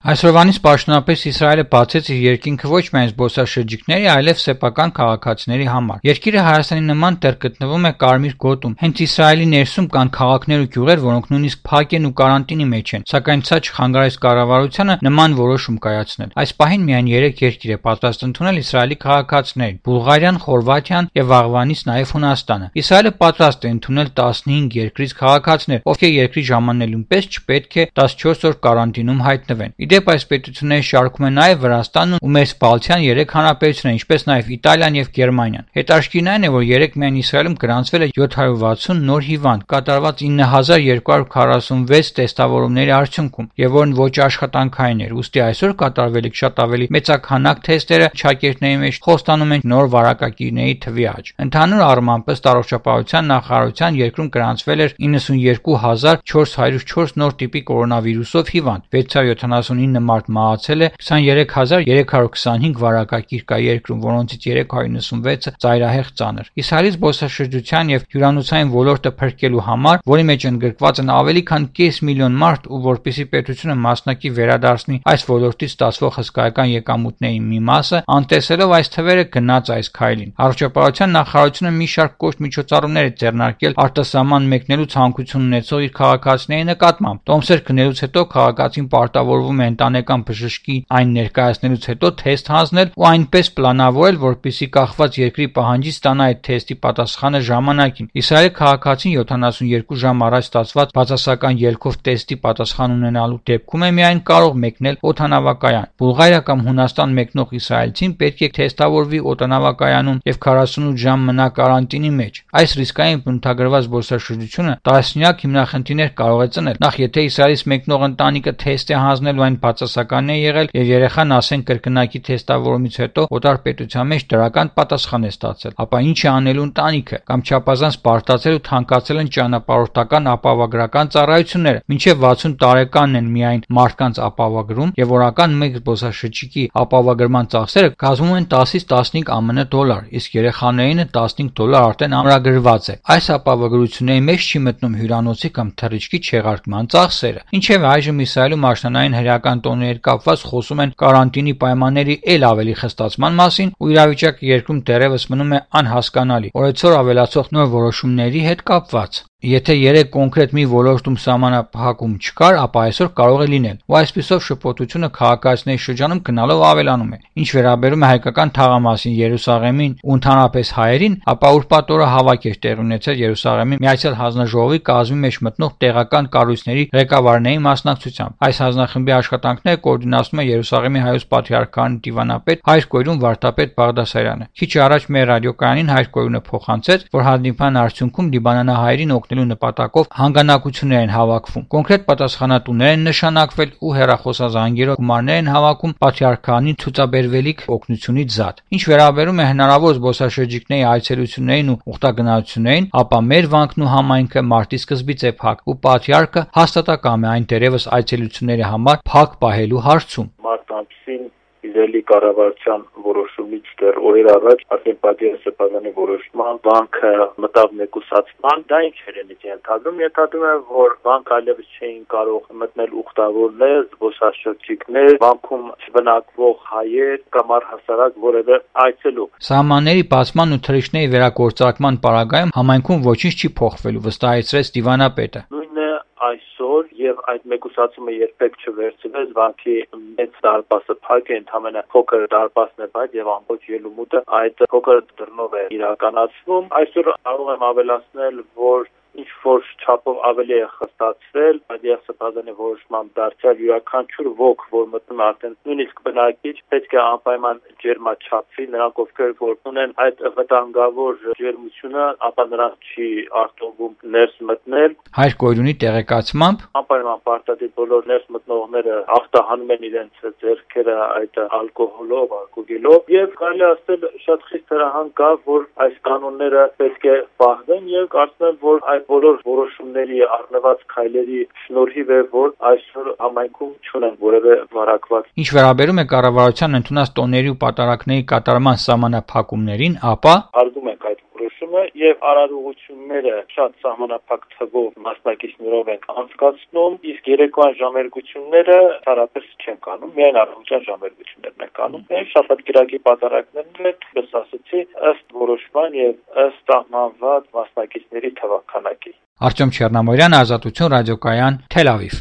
Այսօրվանից պաշտոնապես Իսրայելը բացեց իր երկինքը ոչ միայն զբոսաշրջիկների, այլև սեփական քաղաքացիների համար։ Երկիրը Հայաստանի նման դեռ գտնվում է կարմիր գոտում։ Հենց Իսրայելի ներսում կան քաղաքներ ու գյուղեր, որոնք նույնիսկ փակ են ու կարանտինի մեջ են, սակայն սա չխանգարեց կառավարությանը նման որոշում կայացնել։ Այս պահին միայն 3 երկիր է պատրաստ ընդունել Իսրայելի քաղաքացիներին՝ Բուլղարիան, Խորվաթիան եւ վաղվանից նաեւ Հունաստանը։ Իսրայելը պատրաստ է ընդունել 15 երկրից քաղաքացիներ, ովքեր երկրի ժամանելուն պես չպետք է 14 օր կարանտինում հայտնվեն։ Իդեպ այս պետությունները շարքում են նաև Վրաստանն ու մեր Բալթյան 3 հանրապետությունները, ինչպես նաև Իտալիան եւ Գերմանիան։ Հետաքրքիրն այն է, որ երեք միայն Իսրայելում գրանցվել է 760 նոր հիվանդ, կատարված 9246 տեստավորումների արդյունքում, եւ որն ոչ աշխատանքային էր։ Ուստի այսօր կատարվելիք շատ ավելի մեծաքանակ թեստերը շակերտների մեջ խոստանում են նոր վարակագիրների թվի աճ։ Ընդհանուր առմամբ ըստ առողջապահության նախարարության երկրում գրանցվել էր 92404 նոր տիպի կորոնավիրուսով հիվանդ, 679 մարդ մահացել է, 23325 վարակագիր կա երկրում, որոնցից 396-ը ծայրահեղ ծանր։ Իսրայելի զբոսաշրջության եւ հյուրանոցային ոլորտը փրկելու համար, որի մեջ ընդգրկված են ավելի քան 5 միլիոն մարդ, ու որպեսզի պետությունը մասնակի վերադարձնի այս ոլորտից ստացվող հսկայական եկամուտների մի մասը, անտեսելով այս թվերը գնաց այս քայլին։ Առողջապահության նախարարությունը մի շարք կոշտ միջոցառումներ է ձեռնարկել արտասահման մեկնելու ցանկություն ունեցող իր քաղաքացիների նկատմամբ։ Տոմսեր գնելուց հետո քաղաքացին պարտավորվում է ընտանեկան բժշկի այն ներկայացնելուց հետո թեստ հանձնել ու այնպես պլանավորել, որպեսզի կախված երկրի պահանջից ստանա այդ թեստի պատասխանը ժամանակին։ Իսրայելի քաղաքացին 72 ժամ առաջ ստացված բացասական ելքով թեստի պատասխան ունենալու դեպքում է միայն կարող մեկնել օդանավակայան։ Բուլղարիա կամ Հունաստան մեկնող իսրայելցին պետք է թեստավորվի օդանավակայանում եւ 48 ժամ մնա կարանտինի մեջ։ Այս ռիսկային բնութագրված զբոսաշրջությունը տասնյակ հիմնախնդիրներ կարող է ծնել։ Նախ, եթե Իսրայելից մեկնող ընտանիքը թեստ է հանձնելու, այն բացասական է եղել եւ երեխան ասեն կրկնակի թեստավորումից հետո օտար պետության մեջ դրական պատասխան է ստացել, ապա ինչ է անելու ընտանիքը, կամ չափազանց բարդացել ու թանկացել են ճանապարհորդական ապահովագրական ծառայությունները, մինչեւ 60 տարեկանն են միայն մարդկանց ապահովագրում եւ օրական մեկ զբոսաշրջիկի ապահովագրման ծախսերը կազմում են 10-ից 15 ԱՄՆ դոլար, իսկ երեխաներինը 15 դոլար արդեն ամրագրված է։ Այս ապահովագրությունների մեջ չի մտնում հյուրանոցի կամ թռիչքի չեղարկման ծախսերը։ Ինչևէ, այժմ Իսրայելում աշնանային հրեական տոների կապված խոսում են կարանտինի պայմանների ել ավելի խստացման մասին, ու իրավիճակը երկրում դեռևս մնում է անհասկանալի օրեցօր ավելացող նոր որոշումների հետ կապված։ Եթե 3 կոնկրետ մի ոլորտում սահմանափակում չկար, ապա այսօր կարող է լինել, ու այսպիսով շփոթությունը քաղաքացիների շրջանում գնալով ավելանում է։ Ինչ վերաբերում է հայկական թաղամասին, Երուսաղեմին ու ընդհանրապես հայերին, ապա ուրբաթ օրը հավաք էր տեղի ունեցել Երուսաղեմի Միացյալ Հանձնաժողովի կազմի մեջ մտնող տեղական կառույցների ղեկավարների մասնակցությամբ։ Այս հանձնախմբի աշխատանքները կոորդինացնում է Երուսաղեմի հայոց պատրիարքանի դիվանապետ Հայր Կոյրուն Վարդապետ Բաղդասարյանը։ Քիչ առաջ մեր ռադիոկայանին Հայր Կոյրունը փոխանցեց, որ հանդիպման արդյունքում լիբանանահայերին օգնելու նպատակով հանգանակություններ են հավաքվում։ Կոնկրետ պատասխանատուներ են նշանակվել ու հեռախոսազանգերով գումարներ են հավաքում պատրիարքանին ցուցաբերվելիք օգնությունից զատ։ Ինչ վերաբերում է հնարավոր զբոսաշրջիկների այցելություններին ու ուխտագնացություններին, ապա մեր վանքն ու համայնքը մարտի սկզբից է փակ, ու պատրիարքը հաստատակամ է այն դերևս այցելությունների համար փակ պահելու հարցում։ Մարտ ամսին Իսրայելի կառավարության որոշումից դեռ օրեր առաջ արդեն պատիարը բազանի որոշման բանկը մտավ մեկուսացման, դա ինչ էր ենթադրում։ Ենթադրում է, որ բանկը այլևս չէին կարող մտնել ուխտավորներ, զբոսաշրջիկներ, բանկում չբնակվող հայեր կամ առհասարակ որևէ այցելու։ Սահմանների բացման ու թռիչքների վերագործարկման պարագայում համայնքում ոչինչ չի փոխվելու, վստահեցրեց դիվանապետը։ Այսօր եւ այդ մեկուսացումը երբեք չվերցվեց, բանկի մեծ դարպասը փակ է, ընդհանրապես փոքր դարպասն է բայց եւ ամբողջ ելումուտը այդ փոքր դռնով է իրականացվում։ Այսօր կարող եմ ավելացնել, որ ինչ որ չափով ավելի է խստացվել Պատիար Սպազանի որոշմամբ դարձյալ յուրաքանչյուր ոգ, որ մտնում արդեն նույնիսկ բնակիչ, պետք է անպայման ջերմաչափվի, նրանք ովքեր որ ունեն այդ վտանգավոր ջերմությունը, ապա նրանց չի արտոնվում ներս մտնել։ Հայր Կոյրունի տեղեկացմամբ անպայման պարտադիր բոլոր ներս մտնողները ախտահանում են իրենց ձեռքերը այդ ալկոհոլով, ալկոգելով, եւ կարելի ասել շատ խիստ հրահանգ կա, որ այս կանոնները պետք է պահվեն, եւ կարծում եմ, որ այդ բոլոր որոշումների առնված քայլերի շնորհիվ է, որ այսօր համայնքում չունեն որևէ վարակված։ Ինչ վերաբերում է կառավարության ընդունած տոների ու պատարակների կատարման սահմանափակումներին, ապա հարգում ենք այդ որոշումը կազմակերպումը եւ արարողությունները շատ սահմանափակ թվով մասնակիցներով ենք անցկացնում, իսկ երեկոյան ժամերգությունները հարաբերս չեն կանում, միայն առավոտյան ժամերգություններն են կանում։ Այն շաբաթ-կիրակի պատարագներն էլ ասացի ըստ որոշման եւ ըստ սահմանված մասնակիցների թվաքանակի։ Արտյոմ Չեռնամորյան, Ազատություն ռադիոկայան, Թել Ավիվ։